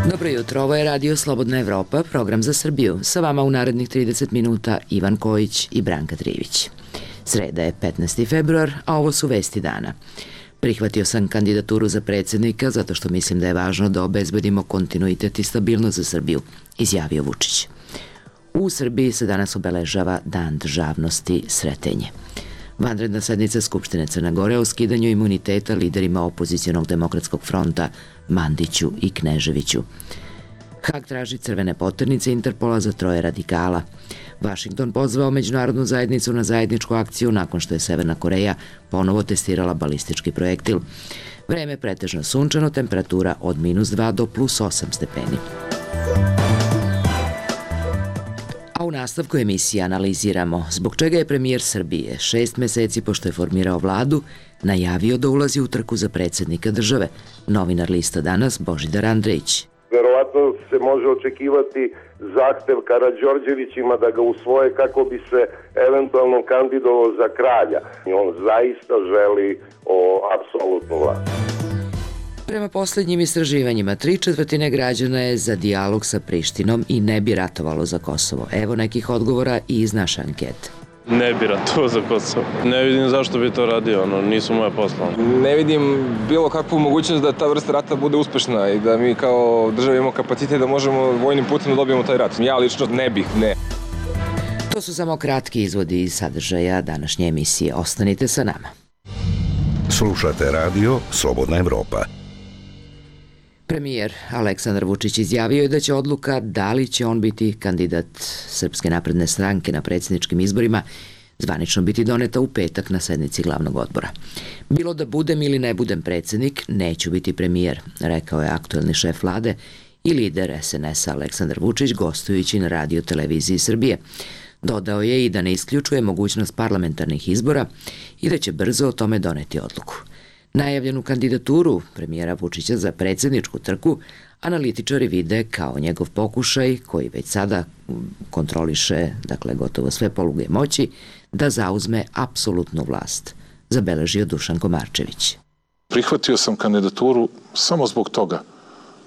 Dobro jutro, ovo je Radio Slobodna Evropa, program za Srbiju. Sa vama u narednih 30 minuta Ivan Kojić i Branka Trivić. Sreda je 15. februar, a ovo su vesti dana. Prihvatio sam kandidaturu za predsjednika zato što mislim da je važno da obezbedimo kontinuitet i stabilnost za Srbiju, izjavio Vučić. U Srbiji se danas obeležava Dan državnosti Sretenje. Vanredna sednica Skupštine Crne Gore o skidanju imuniteta liderima opozicionog demokratskog fronta Mandiću i Kneževiću. Hag traži crvene poternice Interpola za 3 radikala. Vašington pozvao međunarodnu zajednicu na zajedničku akciju nakon što je Severna Koreja ponovo testirala balistički projektil. Vreme pretežno sunčano, temperatura od -2 do +8 stepeni. A u nastavku emisije analiziramo zbog čega je premijer Srbije 6 meseci pošto je formirao vladu najavio da ulazi u trku za predsjednika države. Novinar Lista danas Božidar Andrejić. Verovatno se može očekivati zahtev Karađorđevićima da ga usvoje kako bi se eventualno kandidovao za kralja. On zaista želi apsolutnu vlast. Prema posljednjim istraživanjima, 3/4 građana je za dijalog sa Prištinom i ne bi ratovalo za Kosovo. Evo nekih odgovora i iz naše ankete. Ne bi ratovao za Kosovo. Ne vidim zašto bi to radio, nisu moje posla. Ne vidim bilo kakvu mogućnost da ta vrsta rata bude uspešna i da mi kao država imamo kapacitet da možemo vojnim putem da dobijemo taj rat. Ja lično ne bih, ne. To su samo kratki izvodi iz sadržaja današnje emisije. Ostanite sa nama. Slušate radio Slobodna Evropa. Premijer Aleksandar Vučić izjavio je da će odluka da li će on biti kandidat Srpske napredne stranke na predsjedničkim izborima zvanično biti doneta u petak na sednici glavnog odbora. Bilo da budem ili ne budem predsjednik, neću biti premijer, rekao je aktuelni šef vlade i lider SNS-a Aleksandar Vučić gostujući na Radio televiziji Srbije. Dodao je i da ne isključuje mogućnost parlamentarnih izbora i da će brzo o tome doneti odluku. Najavljenu kandidaturu premijera Vučića za predsjedničku trku analitičari vide kao njegov pokušaj, koji već sada kontroliše, gotovo sve poluge moći, da zauzme apsolutnu vlast, zabeležio Dušan Komarčević. Prihvatio sam kandidaturu samo zbog toga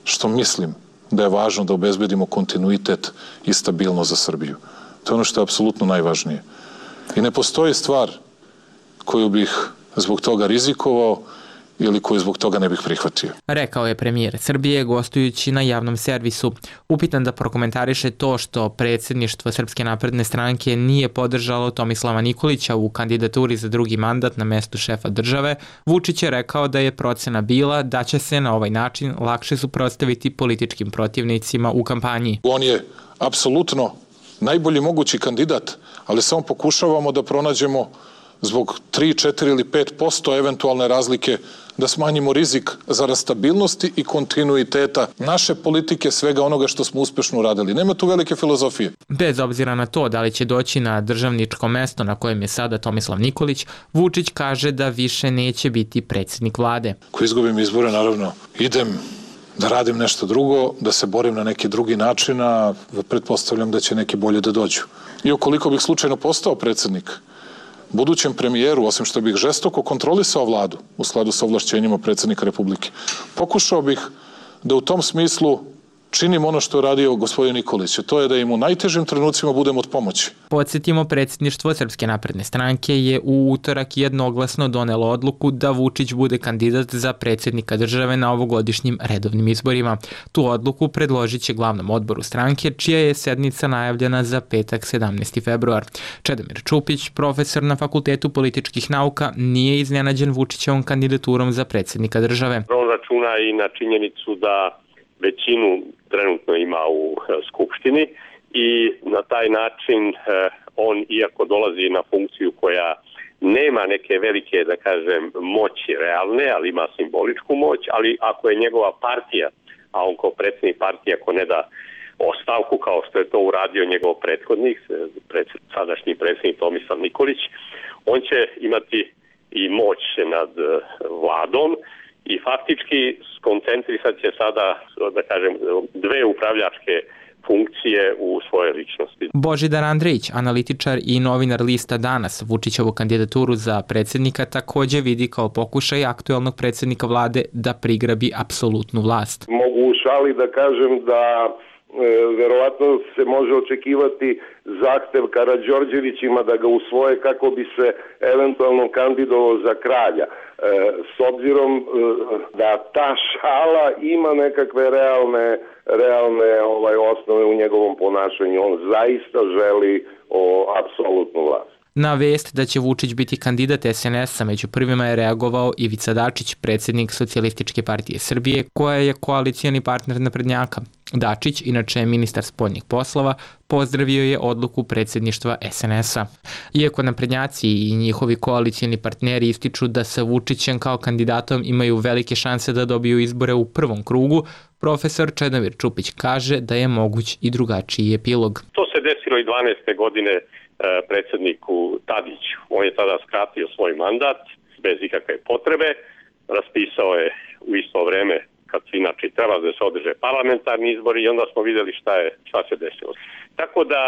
što mislim da je važno da obezbedimo kontinuitet i stabilnost za Srbiju. To je ono što je apsolutno najvažnije. I ne postoji stvar koju bih zbog toga rizikovao ili koju zbog toga ne bih prihvatio. Rekao je premijer Srbije gostujući na javnom servisu. Upitan da prokomentariše to što predsjedništvo Srpske napredne stranke nije podržalo Tomislava Nikolića u kandidaturi za drugi mandat na mestu šefa države, Vučić je rekao da je procena bila da će se na ovaj način lakše suprotstaviti političkim protivnicima u kampanji. On je apsolutno najbolji mogući kandidat, ali samo pokušavamo da pronađemo zbog 3, 4 ili 5% eventualne razlike da smanjimo rizik za rastabilnosti i kontinuiteta naše politike, svega onoga što smo uspešno uradili. Nema tu velike filozofije. Bez obzira na to da li će doći na državničko mesto na kojem je sada Tomislav Nikolić, Vučić kaže da više neće biti predsjednik vlade. Ako izgubim izbore, naravno, idem da radim nešto drugo, da se borim na neki drugi način, a pretpostavljam da će neki bolje da dođu. I ukoliko bih slučajno postao predsjednik, budućem premijeru, osim što bih žestoko kontrolisao vladu u skladu sa ovlašćenjima predsjednika Republike, pokušao bih da u tom smislu činim ono što je radio gospodin Nikolić, to je da im u najtežim trenucima budem od pomoći. Podsjetimo, predsjedništvo Srpske napredne stranke je u utorak jednoglasno donelo odluku da Vučić bude kandidat za predsjednika države na ovogodišnjim redovnim izborima. Tu odluku predložit će glavnom odboru stranke, čija je sednica najavljena za petak 17. februar. Čedomir Čupić, profesor na Fakultetu političkih nauka, nije iznenađen Vučićevom kandidaturom za predsjednika države. On računa i na činjenicu da većinu trenutno ima u Skupštini i na taj način on, iako dolazi na funkciju koja nema neke velike, da kažem, moći realne, ali ima simboličku moć, ali ako je njegova partija, a on kao predsjednik partije ako ne da ostavku kao što je to uradio njegov prethodnik, sadašnji predsjednik Tomislav Nikolić, on će imati i moć nad vladom i faktički skoncentrisat će sada, da kažem, dve upravljačke funkcije u svojoj ličnosti. Božidar Andrejić, analitičar i novinar lista Danas, Vučićevu kandidaturu za predsjednika takođe vidi kao pokušaj aktuelnog predsjednika vlade da prigrabi apsolutnu vlast. Mogu u šali da kažem da verovatno se može očekivati zahtev Karađorđevićima da ga usvoje kako bi se eventualno kandidovao za kralja. S obzirom da ta šala ima nekakve realne osnove u njegovom ponašanju, on zaista želi apsolutnu vlast. Na vest da će Vučić biti kandidat SNS-a među prvima je reagovao Ivica Dačić, predsjednik Socijalističke partije Srbije, koja je koalicijani partner naprednjaka. Dačić, inače je ministar spoljnih poslova, pozdravio je odluku predsjedništva SNS-a. Iako naprednjaci i njihovi koalicijani partneri ističu da sa Vučićem kao kandidatom imaju velike šanse da dobiju izbore u prvom krugu, profesor Čedomir Čupić kaže da je moguć i drugačiji epilog. To se desilo i 12. godine predsjedniku Tadiću. On je tada skratio svoj mandat bez ikakve potrebe, raspisao je u isto vreme kad se inače treba da se održe parlamentarni izbori i onda smo vidjeli šta se desilo. Tako da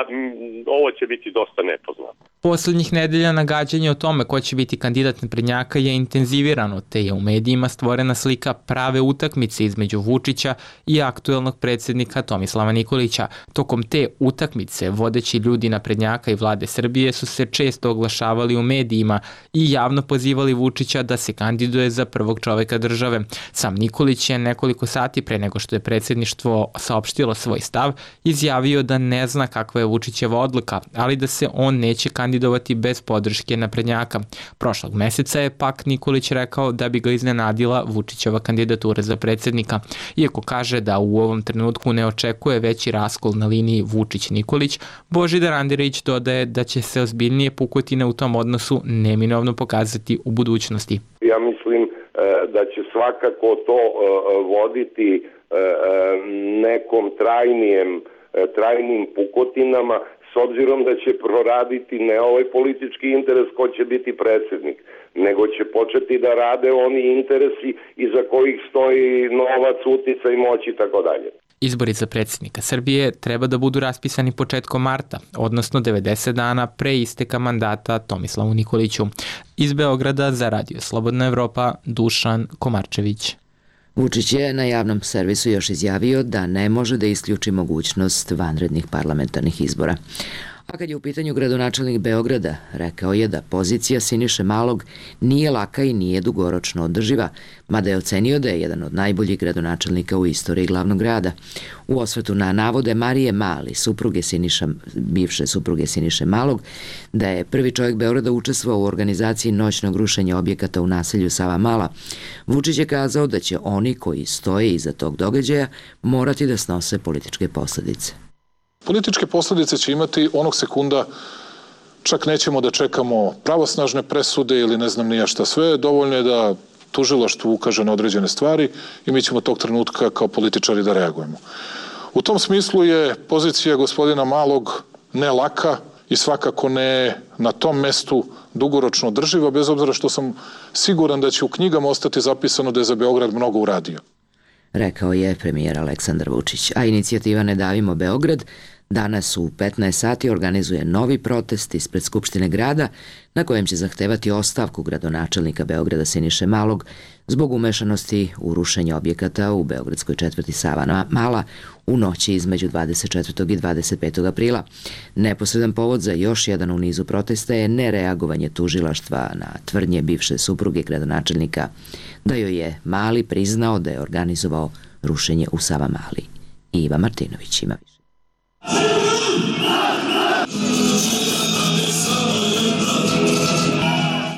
ovo će biti dosta nepoznato. Poslednjih nedelja nagađanje o tome ko će biti kandidat naprednjaka je intenzivirano, te je u medijima stvorena slika prave utakmice između Vučića i aktuelnog predsjednika Tomislava Nikolića. Tokom te utakmice vodeći ljudi naprednjaka i vlade Srbije su se često oglašavali u medijima i javno pozivali Vučića da se kandiduje za prvog čoveka države. Sam Nikolić je nekoliko sati pre nego što je predsjedništvo saopštilo svoj stav, izjavio da ne zna kakva je Vučićeva odluka, ali da se on neće kandidovati bez podrške naprednjaka. Prošlog meseca je pak Nikolić rekao da bi ga iznenadila Vučićeva kandidatura za predsjednika. Iako kaže da u ovom trenutku ne očekuje veći raskol na liniji Vučić-Nikolić, Božidar Andrejić dodaje da će se ozbiljnije pukotine u tom odnosu neminovno pokazati u budućnosti. Ja mislim da će svakako to voditi nekom trajnim pukotinama, s obzirom da će proraditi ne ovaj politički interes ko će biti predsjednik, nego će početi da rade oni interesi iza kojih stoji novac, uticaj, moć i tako dalje. Izbori za predsjednika Srbije treba da budu raspisani početkom marta, odnosno 90 dana pre isteka mandata Tomislavu Nikoliću. Iz Beograda za Radio Slobodna Evropa, Dušan Komarčević. Vučić je na javnom servisu još izjavio da ne može da isključi mogućnost vanrednih parlamentarnih izbora. A kad je u pitanju gradonačelnik Beograda, rekao je da pozicija Siniše Malog nije laka i nije dugoročno održiva, mada je ocenio da je jedan od najboljih gradonačelnika u istoriji glavnog grada. U osvrtu na navode Marije Mali, bivše supruge Siniše Malog, da je prvi čovjek Beograda učestvovao u organizaciji noćnog rušenja objekata u naselju Savamala, Vučić je kazao da će oni koji stoje iza tog događaja morati da snose političke posljedice. Političke posljedice će imati onog sekunda, čak nećemo da čekamo pravosnažne presude ili ne znam nija šta sve, dovoljno je da tužilaštvo ukaže na određene stvari i mi ćemo tog trenutka kao političari da reagujemo. U tom smislu je pozicija gospodina Malog ne laka i svakako ne na tom mestu dugoročno održiva, bez obzira što sam siguran da će u knjigama ostati zapisano da je za Beograd mnogo uradio. Rekao je premijer Aleksandar Vučić, a inicijativa Ne davimo Beograd danas u 15 sati organizuje novi protest ispred Skupštine grada na kojem će zahtevati ostavku gradonačelnika Beograda Siniše Malog zbog umešanosti u rušenje objekata u beogradskoj četvrti Savamala u noći između 24. i 25. aprila. Neposredan povod za još jedan u nizu protesta je nereagovanje tužilaštva na tvrdnje bivše supruge gradonačelnika da joj je Mali priznao da je organizovao rušenje u Savamali. Iva Martinović ima više.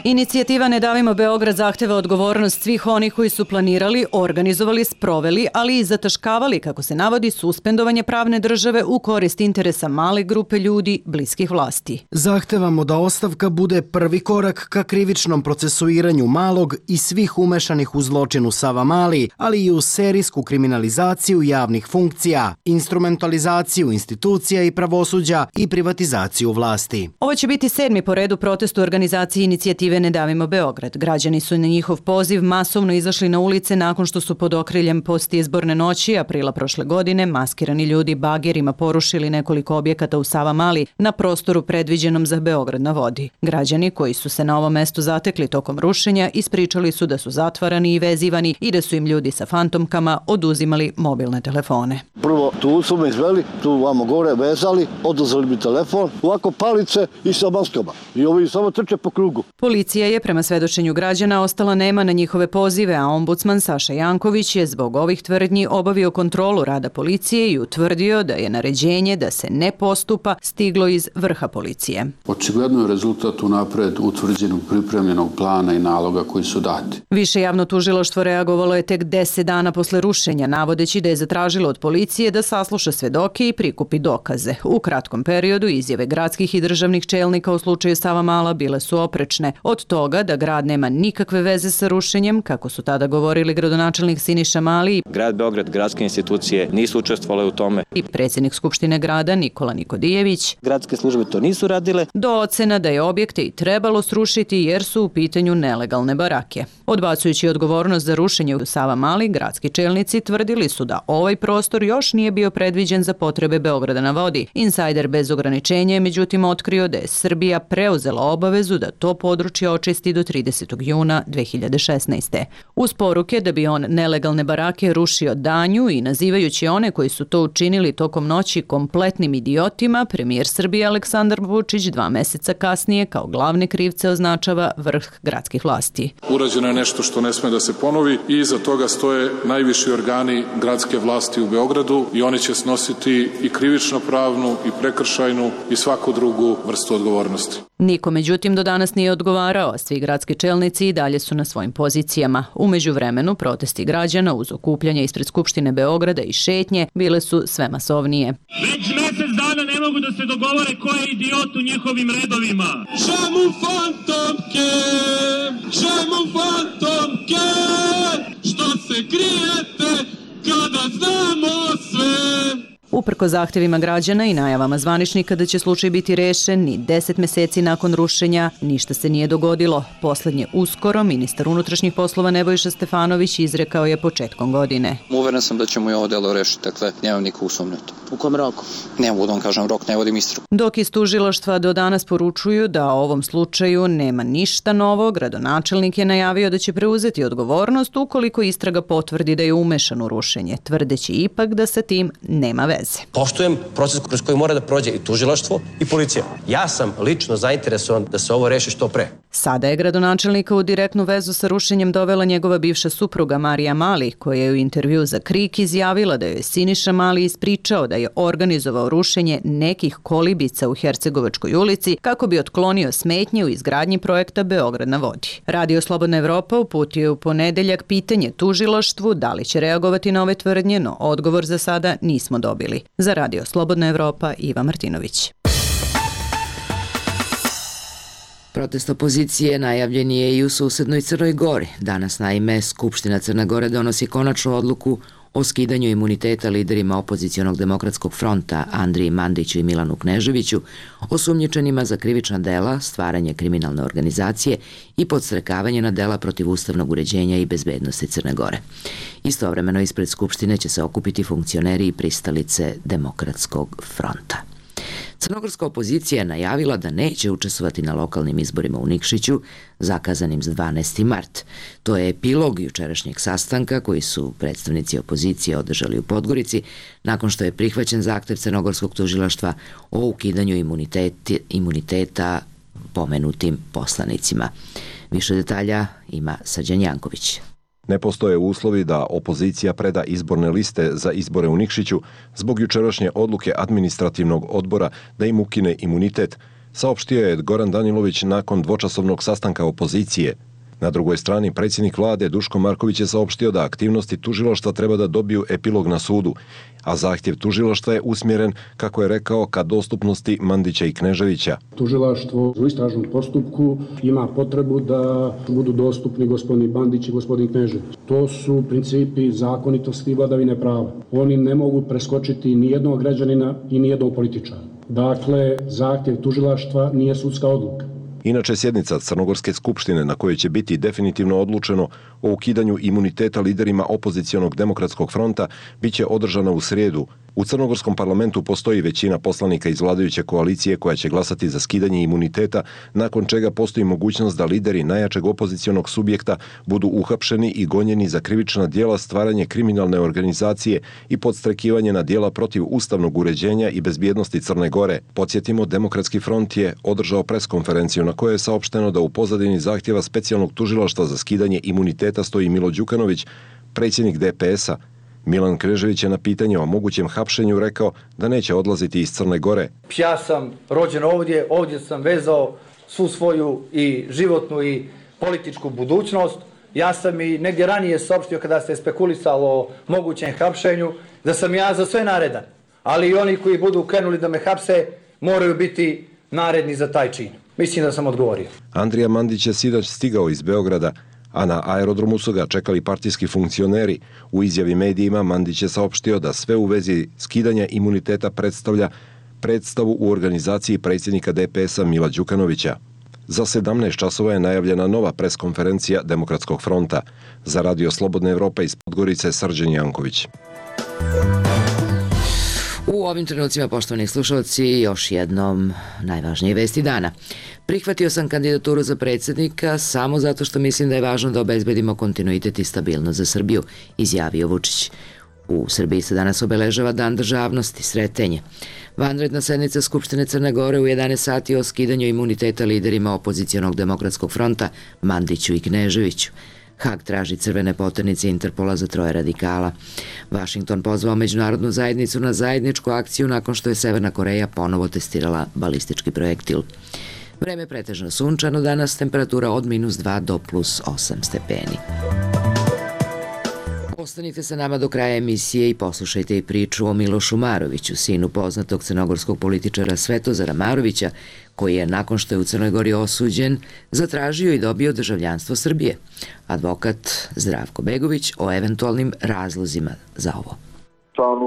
Inicijativa Ne davimo Beograd zahteva odgovornost svih onih koji su planirali, organizovali, sproveli, ali i zataškavali, kako se navodi, suspendovanje pravne države u korist interesa male grupe ljudi bliskih vlasti. Zahtevamo da ostavka bude prvi korak ka krivičnom procesuiranju Malog i svih umešanih u zločinu Savamali, ali i u serijsku kriminalizaciju javnih funkcija, instrumentalizaciju institucija i pravosuđa i privatizaciju vlasti. Ovo će biti 7. po redu protest u organizaciji inicijative Ne davimo Beograd. Građani su na njihov poziv masovno izašli na ulice nakon što su pod okriljem postizborne noći aprila prošle godine maskirani ljudi bagerima porušili nekoliko objekata u Savamali na prostoru predviđenom za Beograd na vodi. Građani koji su se na ovom mestu zatekli tokom rušenja ispričali su da su zatvarani i vezivani i da su im ljudi sa fantomkama oduzimali mobilne telefone. Prvo tu su me izveli, tu vamo gore vezali, oduzeli mi telefon, ovako palice i sa maskama. I ovi samo trče po krugu. Policija je prema svedočenju građana ostala nema na njihove pozive, a ombudsman Saša Janković je zbog ovih tvrdnji obavio kontrolu rada policije i utvrdio da je naređenje da se ne postupa stiglo iz vrha policije. Očigledno je rezultat unapred utvrđenog pripremljenog plana i naloga koji su dati. Više javno tužilaštvo reagovalo je tek 10 dana posle rušenja, navodeći da je zatražilo od policije da sasluša svedoke i prikupi dokaze. U kratkom periodu izjave gradskih i državnih čelnika u slučaju Savamala bile su oprečne. Od toga da grad nema nikakve veze sa rušenjem, kako su tada govorili gradonačelnik Siniša Mali, Grad Beograd, gradske institucije nisu učestvovale u tome, i predsjednik Skupštine grada Nikola Nikodijević. Gradske službe to nisu radile. Do ocena da je objekte i trebalo srušiti jer su u pitanju nelegalne barake. Odbacujući odgovornost za rušenje u Savamali, gradski čelnici tvrdili su da ovaj prostor još nije bio predviđen za potrebe Beograda na vodi. Insajder bez ograničenja je međutim otkrio da je Srbija preuzela obavezu da to područje očisti do 30. juna 2016. Uz poruke da bi on nelegalne barake rušio danju i nazivajući one koji su to učinili tokom noći kompletnim idiotima, premijer Srbije Aleksandar Vučić 2 meseca kasnije kao glavne krivce označava vrh gradskih vlasti. Urađeno je nešto što ne sme da se ponovi i iza toga stoje najviši organi gradske vlasti u Beogradu i oni će snositi i krivično-pravnu i prekršajnu i svaku drugu vrstu odgovornosti. Niko međutim do danas nije odgovarao, a svi gradski čelnici i dalje su na svojim pozicijama. U međuvremenu protesti građana uz okupljanje ispred Skupštine Beograda i šetnje bile su sve masovnije. Već mesec dana ne mogu da se dogovore ko je idiot u njihovim redovima. Čemu fantomke? Čemu fantomke? Što se krijete kada znamo sve? Uprko zahtjevima građana i najavama zvaničnika da će slučaj biti rešen, ni 10 meseci nakon rušenja ništa se nije dogodilo. Poslednje uskoro ministar unutrašnjih poslova Nebojša Stefanović izrekao je početkom godine. Uveren sam da ćemo i ovo delo rešiti, dakle nemam nikakvu sumnju. U kom roku? Ne mogu da vam kažem rok, ne vodim istragu. Dok iz tužilaštva do danas poručuju da o ovom slučaju nema ništa novo, gradonačelnik je najavio da će preuzeti odgovornost ukoliko istraga potvrdi da je umešan u rušenje, tvrdeći ipak da sa tim nema veze. Poštujem proces kroz koji mora da prođe i tužilaštvo i policija. Ja sam lično zainteresovan da se ovo reši što pre. Sada je gradonačelnika u direktnu vezu sa rušenjem dovela njegova bivša supruga Marija Mali, koja je u intervju za KRIK izjavila da je Siniša Mali ispričao da je organizovao rušenje nekih kolibica u Hercegovačkoj ulici kako bi otklonio smetnje u izgradnji projekta Beograd na vodi. Radio Slobodna Evropa uputio je u ponedeljak pitanje tužilaštvu da li će reagovati na ove tvrdnje, no odgovor za sada nismo dobili. Za Radio Slobodna Evropa, Iva Martinović. Protest opozicije najavljen je i u susednoj Crnoj Gori. Danas naime Skupština Crne Gore donosi konačnu odluku o skidanju imuniteta liderima opozicionog demokratskog fronta Andriji Mandiću i Milanu Kneževiću, osumnjičenima za krivična dela, stvaranje kriminalne organizacije i podstrekavanje na dela protiv ustavnog uređenja i bezbednosti Crne Gore. Istovremeno ispred Skupštine će se okupiti funkcioneri i pristalice Demokratskog fronta. Crnogorska opozicija je najavila da neće učestvovati na lokalnim izborima u Nikšiću, zakazanim za 12. mart. To je epilog jučerašnjeg sastanka koji su predstavnici opozicije održali u Podgorici, nakon što je prihvaćen zahtev crnogorskog tužilaštva o ukidanju imuniteta pomenutim poslanicima. Više detalja ima Srđan Janković. Ne postoje uslovi da opozicija preda izborne liste za izbore u Nikšiću zbog jučerašnje odluke administrativnog odbora da im ukine imunitet, saopštio je Goran Danilović nakon dvočasovnog sastanka opozicije. Na drugoj strani, predsjednik vlade Duško Marković je saopštio da aktivnosti tužilaštva treba da dobiju epilog na sudu, a zahtjev tužilaštva je usmjeren, kako je rekao, ka dostupnosti Mandića i Kneževića. Tužilaštvo u istražnom postupku ima potrebu da budu dostupni gospodin Mandić i gospodin Knežević. To su principi zakonitosti i vladavine prava. Oni ne mogu preskočiti ni jednog građanina i ni jednog političara. Dakle, zahtjev tužilaštva nije sudska odluka. Inače, sjednica Crnogorske skupštine na kojoj će biti definitivno odlučeno o ukidanju imuniteta liderima opozicionog demokratskog fronta biće održana u srijedu. U crnogorskom parlamentu postoji većina poslanika iz vladajuće koalicije koja će glasati za skidanje imuniteta, nakon čega postoji mogućnost da lideri najjačeg opozicionog subjekta budu uhapšeni i gonjeni za krivična djela, stvaranje kriminalne organizacije i podstrekivanje na djela protiv ustavnog uređenja i bezbjednosti Crne Gore. Podsjetimo, Demokratski front je održao preskonferenciju na kojoj je saopšteno da u pozadini zahtjeva specijalnog tužilaštva za skidanje imuniteta stoji Milo Đukanović, predsjednik DPS-a. Milan Knežević je na pitanje o mogućem hapšenju rekao da neće odlaziti iz Crne Gore. Ja sam rođen ovdje sam vezao svu svoju i životnu i političku budućnost. Ja sam i negdje ranije saopštio kada se spekulisalo o mogućem hapšenju da sam ja za sve naredan. Ali i oni koji budu krenuli da me hapse moraju biti naredni za taj čin. Mislim da sam odgovorio. Andrija Mandić je sinoć stigao iz Beograda, a na aerodromu su ga čekali partijski funkcioneri. U izjavi medijima Mandić je saopštio da sve u vezi skidanja imuniteta predstavlja predstavu u organizaciji predsjednika DPS-a Mila Đukanovića. Za 17 časova je najavljena nova preskonferencija Demokratskog fronta. Za Radio Slobodna Evropa iz Podgorice, Srđan Janković. U ovim trenucima, poštovani slušalci, još jednom najvažnije vesti dana. Prihvatio sam kandidaturu za predsjednika samo zato što mislim da je važno da obezbedimo kontinuitet i stabilnost za Srbiju, izjavio Vučić. U Srbiji se danas obeležava Dan državnosti, Sretenje. Vanredna sednica Skupštine Crne Gore u 11 sati o skidanju imuniteta liderima opozicionog demokratskog fronta Mandiću i Kneževiću. Hag traži crvene poternice Interpola za 3 radikala. Vašington pozvao međunarodnu zajednicu na zajedničku akciju nakon što je Severna Koreja ponovo testirala balistički projektil. Vreme pretežno sunčano danas, temperatura od -2 do +8 stepeni. Ostanite sa nama do kraja emisije i poslušajte i priču o Milošu Maroviću, sinu poznatog crnogorskog političara Svetozara Marovića, koji je, nakon što je u Crnoj Gori osuđen, zatražio i dobio državljanstvo Srbije. Advokat Zdravko Begović o eventualnim razlozima za ovo.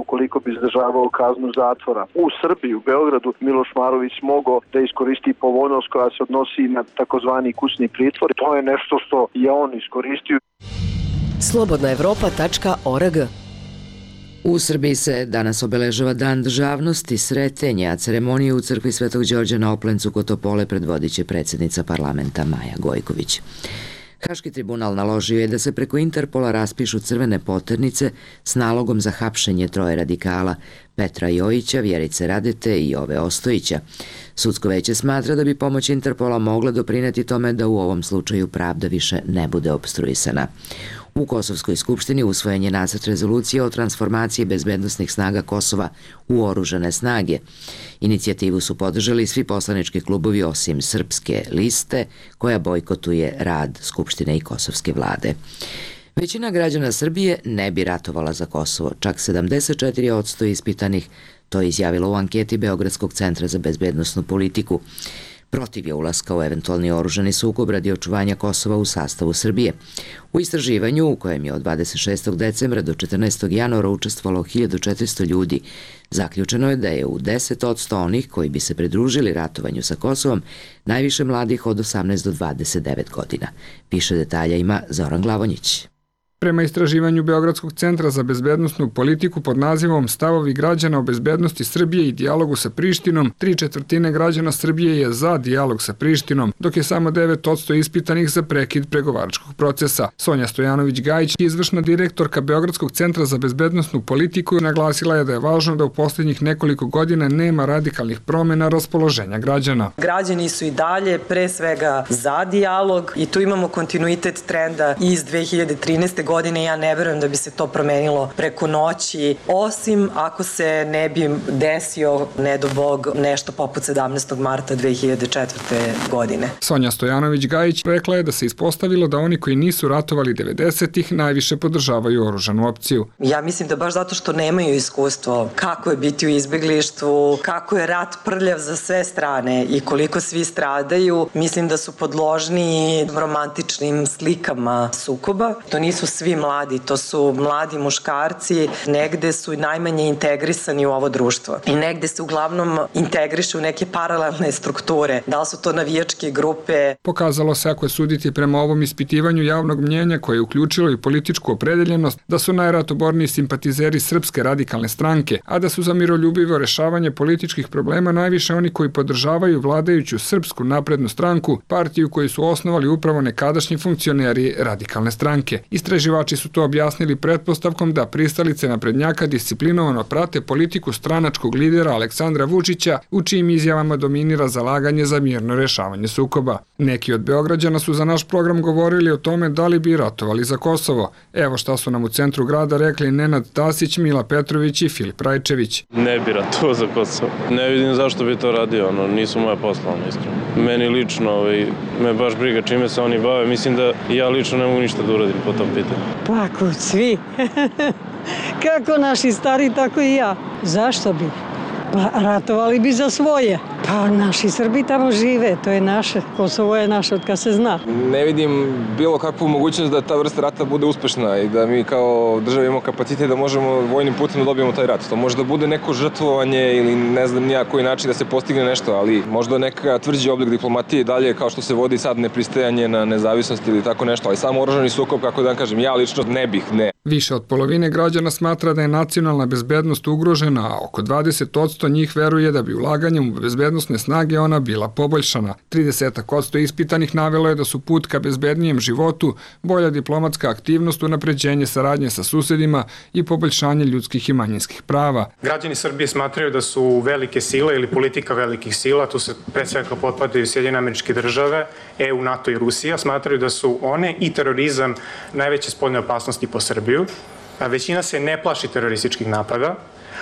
Ukoliko bi izdržavao kaznu zatvora u Srbiji, u Beogradu, Miloš Marović mogao da iskoristi povoljnost koja se odnosi na takozvani kućni pritvor. To je nešto što je on iskoristio. Slobodnaevropa.org. U Srbiji se danas obeležava Dan državnosti, Sretenje, a ceremoniju u crkvi Svetog Đorđa na Oplencu kod Topole predvodit će predsjednica parlamenta Maja Gojković. Haški tribunal naložio je da se preko Interpola raspišu crvene poternice s nalogom za hapšenje 3 radikala, Petra Jojića, Vjerice Radete i Jove Ostojića. Sudsko veće smatra da bi pomoć Interpola mogla doprineti tome da u ovom slučaju pravda više ne bude opstruisana. U Kosovskoj skupštini usvojen je nacrt rezolucije o transformaciji bezbednosnih snaga Kosova u oružane snage. Inicijativu su podržali svi poslanički klubovi osim Srpske liste, koja bojkotuje rad Skupštine i Kosovske vlade. Većina građana Srbije ne bi ratovala za Kosovo, čak 74% ispitanih, to je izjavilo u anketi Beogradskog centra za bezbednosnu politiku. Protiv je ulaska u eventualni oružani sukob radi očuvanja Kosova u sastavu Srbije. U istraživanju, u kojem je od 26. decembra do 14. januara učestvovalo 1400 ljudi, zaključeno je da je u 10% onih koji bi se pridružili ratovanju sa Kosovom najviše mladih od 18 do 29 godina. Više detalja ima Zoran Glavonjić. Prema istraživanju Beogradskog centra za bezbednosnu politiku pod nazivom Stavovi građana o bezbednosti Srbije i dijalogu sa Prištinom, 3/4 građana Srbije je za dijalog sa Prištinom, dok je samo 9% ispitanih za prekid pregovaračkog procesa. Sonja Stojanović-Gajić, izvršna direktorka Beogradskog centra za bezbednosnu politiku, naglasila je da je važno da u posljednjih nekoliko godina nema radikalnih promjena raspoloženja građana. Građani su i dalje pre svega za dijalog i tu imamo kontinuitet trenda iz 2013. godine. Ja ne verujem da bi se to promenilo preko noći, osim ako se ne bi desio, ne do Bog, nešto poput 17. marta 2004. godine. Sonja Stojanović-Gajić rekla je da se ispostavilo da oni koji nisu ratovali 90-ih najviše podržavaju oružanu opciju. Ja mislim da baš zato što nemaju iskustvo kako je biti u izbeglištvu, kako je rat prljav za sve strane i koliko svi stradaju, mislim da su podložni romantičnim slikama sukoba. To nisu svi mladi, to su mladi muškarci, negde su najmanje integrisani u ovo društvo i negde se uglavnom integrišu u neke paralelne strukture. Da li su to navijačke grupe? Pokazalo se, ako je suditi prema ovom ispitivanju javnog mnjenja koje je uključilo i političku opredeljenost, da su najratoborniji simpatizeri Srpske radikalne stranke, a da su za miroljubivo rešavanje političkih problema najviše oni koji podržavaju vladajuću Srpsku naprednu stranku, partiju koju su osnovali upravo nekadašnji funkcioneri radikalne stranke. Istraživači su to objasnili pretpostavkom da pristalice naprednjaka disciplinovano prate politiku stranačkog lidera Aleksandra Vučića, u čijim izjavama dominira zalaganje za mirno rešavanje sukoba. Neki od Beograđana su za naš program govorili o tome da li bi ratovali za Kosovo. Evo šta su nam u centru grada rekli Nenad Tasić, Mila Petrović i Filip Rajčević. Ne bi ratovao za Kosovo. Ne vidim zašto bi to radio, nisu moja posla, iskreno. Meni lično, me baš briga čime se oni bave, mislim da ja lično ne mogu ništa da uradim po tom pitanju. Pa ako svi, kako naši stari, tako i ja. Zašto bi? Pa ratovali bi za svoje. Pa naši Srbi tamo žive, to je naše. Kosovo je naše od kad se zna. Ne vidim bilo kakvu mogućnost da ta vrsta rata bude uspešna i da mi kao država imamo kapacitet da možemo vojnim putem da dobijemo taj rat. To može da bude neko žrtvovanje ili ne znam nija koji način da se postigne nešto, ali možda neka tvrđi oblik diplomatije dalje kao što se vodi sad nepristajanje na nezavisnost ili tako nešto, ali samo oružani sukob, kako da kažem, ja lično ne bih. Više od polovine građana smatra da je nacionalna bezbednost ugrožena, a oko 20% njih veruje da bi ulaganjem u bezbednosne snage ona bila poboljšana. 30% ispitanih navelo je da su put ka bezbednijem životu, bolja diplomatska aktivnost, unapređenje saradnje sa susedima i poboljšanje ljudskih i manjinskih prava. Građani Srbije smatraju da su velike sile ili politika velikih sila, tu se pre svega potpadaju Sjedinjene Američke Države, EU, NATO i Rusija, smatraju da su one i terorizam najveće spoljne opasnosti po Srbiju. Većina se ne plaši terorističkih napada,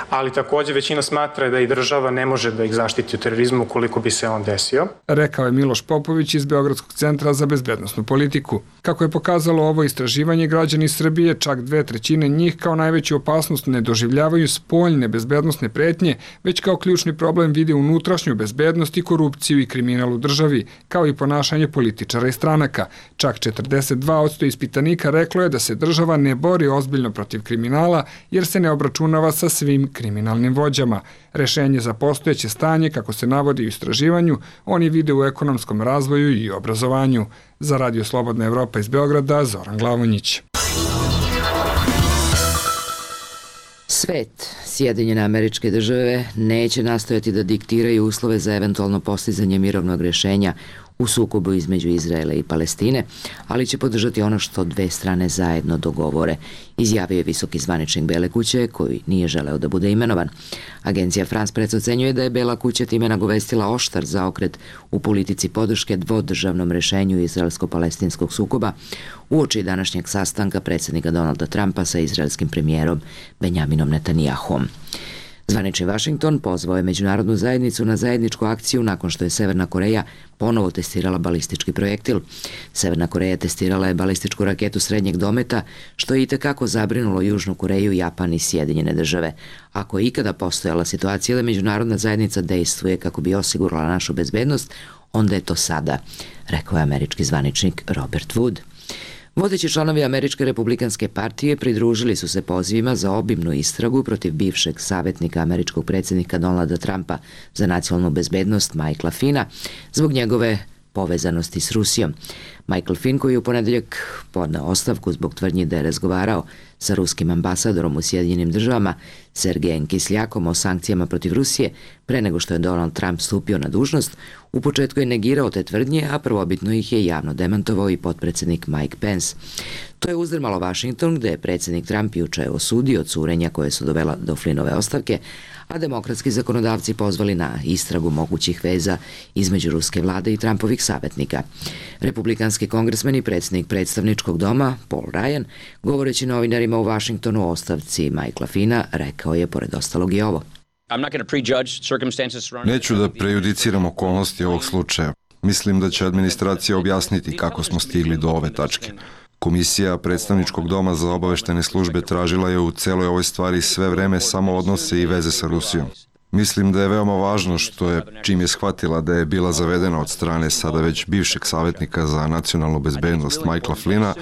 ali takođe većina smatra da i država ne može da ih zaštiti od terorizma ukoliko bi se on desio. Rekao je Miloš Popović iz Beogradskog centra za bezbednosnu politiku. Kako je pokazalo ovo istraživanje, građani Srbije, čak 2/3 njih kao najveću opasnost ne doživljavaju spoljne bezbednosne pretnje, već kao ključni problem vide unutrašnju bezbednost i korupciju i kriminal u državi, kao i ponašanje političara i stranaka. Čak 42% ispitanika reklo je da se država ne bori ozbiljno protiv kriminala jer se ne obračunava sa svim kriminalnim vođama. Rešenje za postojeće stanje, kako se navodi u istraživanju, oni vide u ekonomskom razvoju i obrazovanju. Za Radio Slobodna Evropa iz Beograda, Zoran Glavonjić. Svet, Sjedinjene Američke Države, neće nastojati da diktiraju uslove za eventualno postizanje mirovnog rešenja u sukobu između Izraela i Palestine, ali će podržati ono što dve strane zajedno dogovore, izjavio je visoki zvaničnik Bele kuće koji nije želeo da bude imenovan. Agencija France Press ocenjuje da je Bela kuća time nagovestila oštar zaokret u politici podrške dvodržavnom rešenju izraelsko-palestinskog sukoba uoči današnjeg sastanka predsjednika Donalda Trumpa sa izraelskim premijerom Benjaminom Netanyahom. Zvanični Vašington pozvao je međunarodnu zajednicu na zajedničku akciju nakon što je Severna Koreja ponovo testirala balistički projektil. Severna Koreja testirala je balističku raketu srednjeg dometa, što je itekako zabrinulo Južnu Koreju, Japan i Sjedinjene Države. Ako je ikada postojala situacija da međunarodna zajednica dejstvuje kako bi osigurala našu bezbednost, onda je to sada, rekao je američki zvaničnik Robert Wood. Vodeći članovi Američke republikanske partije pridružili su se pozivima za obimnu istragu protiv bivšeg savjetnika američkog predsjednika Donalda Trumpa za nacionalnu bezbednost Michaela Finna zbog njegove povezanosti s Rusijom. Michael Finn, koji je u ponedeljak podneo ostavku zbog tvrdnji da je razgovarao sa ruskim ambasadorom u Sjedinjenim Državama Sergejem Kisljakom o sankcijama protiv Rusije pre nego što je Donald Trump stupio na dužnost, u početku je negirao te tvrdnje, a prvobitno ih je javno demantovao i potpredsjednik Mike Pence. To je uzdrmalo Washington, gde je predsjednik Trump juče osudio curenja koje su dovela do Flynnove ostavke, a demokratski zakonodavci pozvali na istragu mogućih veza između ruske vlade i Trumpovih savjetnika. Republikanski kongresmen i predsjednik predstavničkog doma, Paul Ryan, govoreći novinarima u Washingtonu o ostavci Michaela Finna, rekao je pored ostalog i ovo. Neću da prejudiciram okolnosti ovog slučaja. Mislim da će administracija objasniti kako smo stigli do ove tačke. Komisija predstavničkog doma za obaveštene službe tražila je u celoj ovoj stvari sve vreme samo odnose i veze sa Rusijom. Mislim da je veoma važno što je, čim je shvatila da je bila zavedena od strane sada već bivšeg savjetnika za nacionalnu bezbednost Michaela Flyna,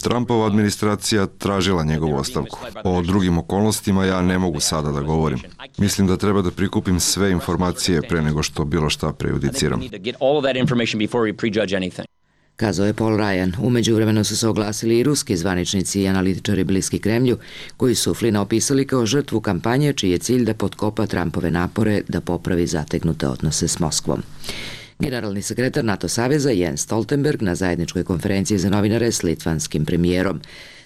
Trumpova administracija tražila njegovu ostavku. O drugim okolnostima ja ne mogu sada da govorim. Mislim da treba da prikupim sve informacije pre nego što bilo šta prejudiciram. Kazao je Paul Ryan. U međuvremenu su se oglasili i ruski zvaničnici i analitičari bliski Kremlju, koji su Flina opisali kao žrtvu kampanje čiji je cilj da potkopa Trumpove napore da popravi zategnute odnose s Moskvom. Generalni sekretar NATO saveza Jens Stoltenberg na zajedničkoj konferenciji za novinare s litvanskim premijerom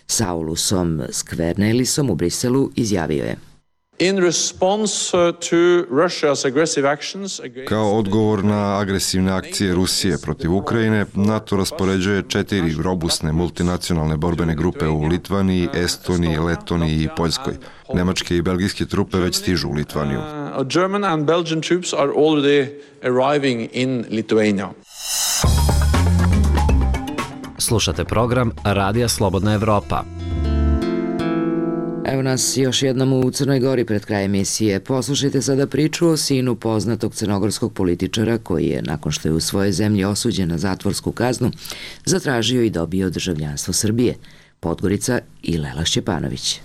Saulusom Skvernelisom u Briselu izjavio je: Kao odgovor na agresivne akcije Rusije protiv Ukrajine, NATO raspoređuje 4 robusne multinacionalne borbene grupe u Litvaniji, Estoniji, Letoniji i Poljskoj. Nemačke i belgijske trupe već stižu u Litvaniju. German and Belgian troops are already arriving in Lithuania. Slušate program Radija Slobodna Evropa. Evo nas još jednom u Crnoj Gori pred kraj emisije. Poslušajte sada priču o sinu poznatog crnogorskog političara koji je, nakon što je u svojoj zemlji osuđen na zatvorsku kaznu, zatražio i dobio državljanstvo Srbije. Podgorica i Lela Šćepanović.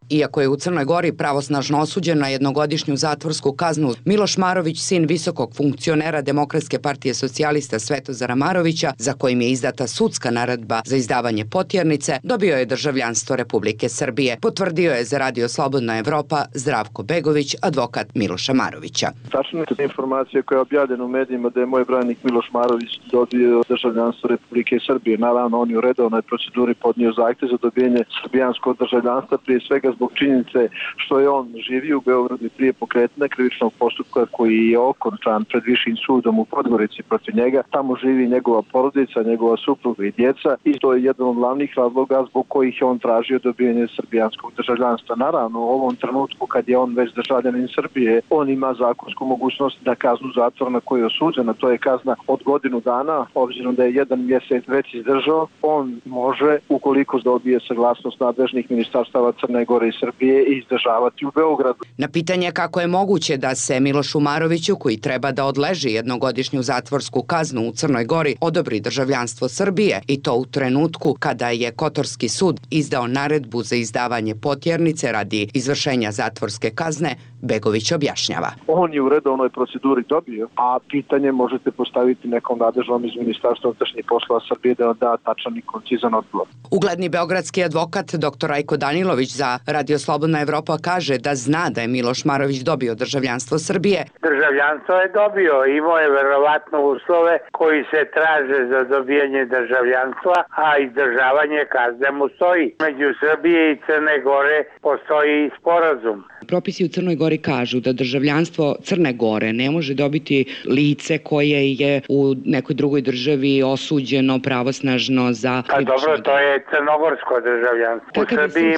Iako je u Crnoj Gori pravosnažno osuđen na jednogodišnju zatvorsku kaznu, Miloš Marović, sin visokog funkcionera Demokratske partije socijalista Svetozara Marovića, za kojim je izdata sudska naredba za izdavanje potjernice, dobio je državljanstvo Republike Srbije. Potvrdio je za Radio Slobodna Evropa Zdravko Begović, advokat Miloša Marovića. Tačno je informacija koja je objavljena u medijima da je moj branik Miloš Marović dobio državljanstvo Republike Srbije. Naravno, on je u redovnoj proceduri podnio zahtev za dobijanje srbijanskog državljanstva, prije svega zbog činjenice što je on živio u Beogradu i prije pokretanja krivičnog postupka koji je okončan pred višim sudom u Podgorici protiv njega. Tamo živi njegova porodica, njegova supruga i djeca i to je jedan od glavnih razloga zbog kojih je on tražio dobijanje srbijanskog državljanstva. Naravno, u ovom trenutku kad je on već državljanin Srbije, on ima zakonsku mogućnost da kaznu zatvora na koju je osuđena, to je kazna od godinu dana, obzirom da je 1 mjesec već izdržao, on može, ukoliko dobije saglasnost nadležnih ministarstava Crne Gore i Srbije, izdržavati u Beogradu. Na pitanje kako je moguće da se Milošu Maroviću, koji treba da odleži jednogodišnju zatvorsku kaznu u Crnoj Gori, odobri državljanstvo Srbije, i to u trenutku kada je Kotorski sud izdao naredbu za izdavanje potjernice radi izvršenja zatvorske kazne, Begović objašnjava. On je u redovnoj proceduri dobio, a pitanje možete postaviti nekom nadležnom iz Ministarstva unutrašnjih poslova Srbije da da tačan i koncizan odgovor. Ugledni beogradski advokat dr. Rajko Danilović za Radio Slobodna Evropa kaže da zna da je Miloš Marović dobio državljanstvo Srbije. Državljanstvo je dobio, imao je verovatno uslove koji se traže za dobijanje državljanstva, a izdržavanje kazne mu stoji. Među Srbije i Crne Gore postoji sporazum. Propisi u Crnoj Gori kažu da državljanstvo Crne Gore ne može dobiti lice koje je u nekoj drugoj državi osuđeno pravosnažno za... Pa dobro, to je crnogorsko državljanstvo. U Srbiji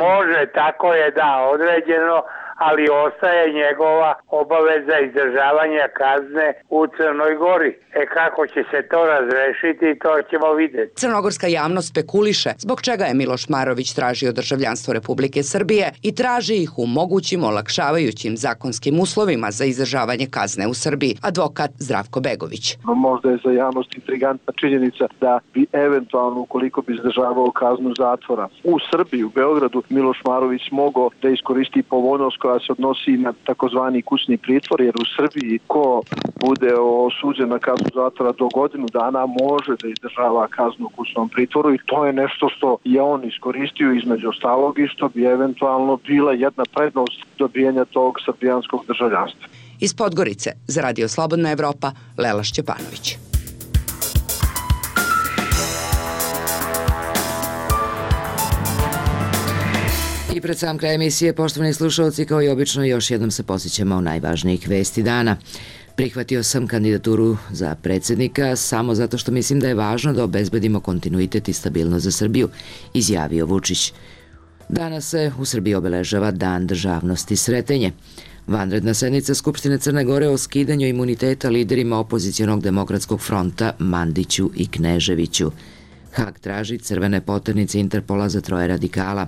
može, tako je, da, određeno, ali ostaje njegova obaveza izdržavanja kazne u Crnoj Gori. Kako će se to razrešiti, to ćemo vidjeti. Crnogorska javnost spekuliše zbog čega je Miloš Marović tražio državljanstvo Republike Srbije i traži ih u mogućim olakšavajućim zakonskim uslovima za izdržavanje kazne u Srbiji. Advokat Zdravko Begović. Možda je za javnost intrigantna činjenica da bi eventualno, ukoliko bi izdržavao kaznu zatvora u Srbiji, u Beogradu, Miloš Marović mogao da iskoristi povoljnost koja se odnosi na takozvani kućni pritvor, jer u Srbiji ko bude osuđen na kaznu zatvora do godinu dana može da izdržava kaznu u kućnom pritvoru i to je nešto što je on iskoristio između ostalog i što bi eventualno bila jedna prednost dobijanja tog srbijanskog državljanstva. Iz Podgorice za Radio Slobodna Evropa, Lela Šćepanović. I pred sam kraj emisije, poštovani slušalci, kao i obično, još jednom se posjećamo o najvažnijih vesti dana. Prihvatio sam kandidaturu za predsjednika samo zato što mislim da je važno da obezbedimo kontinuitet i stabilnost za Srbiju, izjavio Vučić. Danas se u Srbiji obeležava Dan državnosti Sretenje. Vanredna sednica Skupštine Crne Gore o skidanju imuniteta liderima opozicionog demokratskog fronta Mandiću i Kneževiću. Hag traži crvene poternice Interpola za 3 radikala.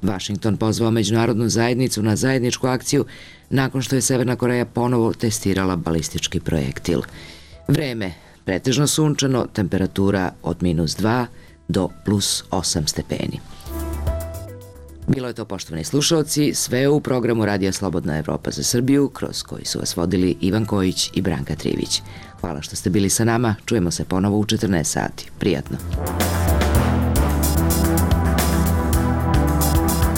Vašington pozvao međunarodnu zajednicu na zajedničku akciju nakon što je Severna Koreja ponovo testirala balistički projektil. Vreme, pretežno sunčano, temperatura od -2 do plus 8 stepeni. Bilo je to, poštovani slušalci, sve u programu Radija Slobodna Evropa za Srbiju, kroz koji su vas vodili Ivan Kojić i Branka Trivić. Hvala što ste bili sa nama, čujemo se ponovo u 14 sati. Prijatno.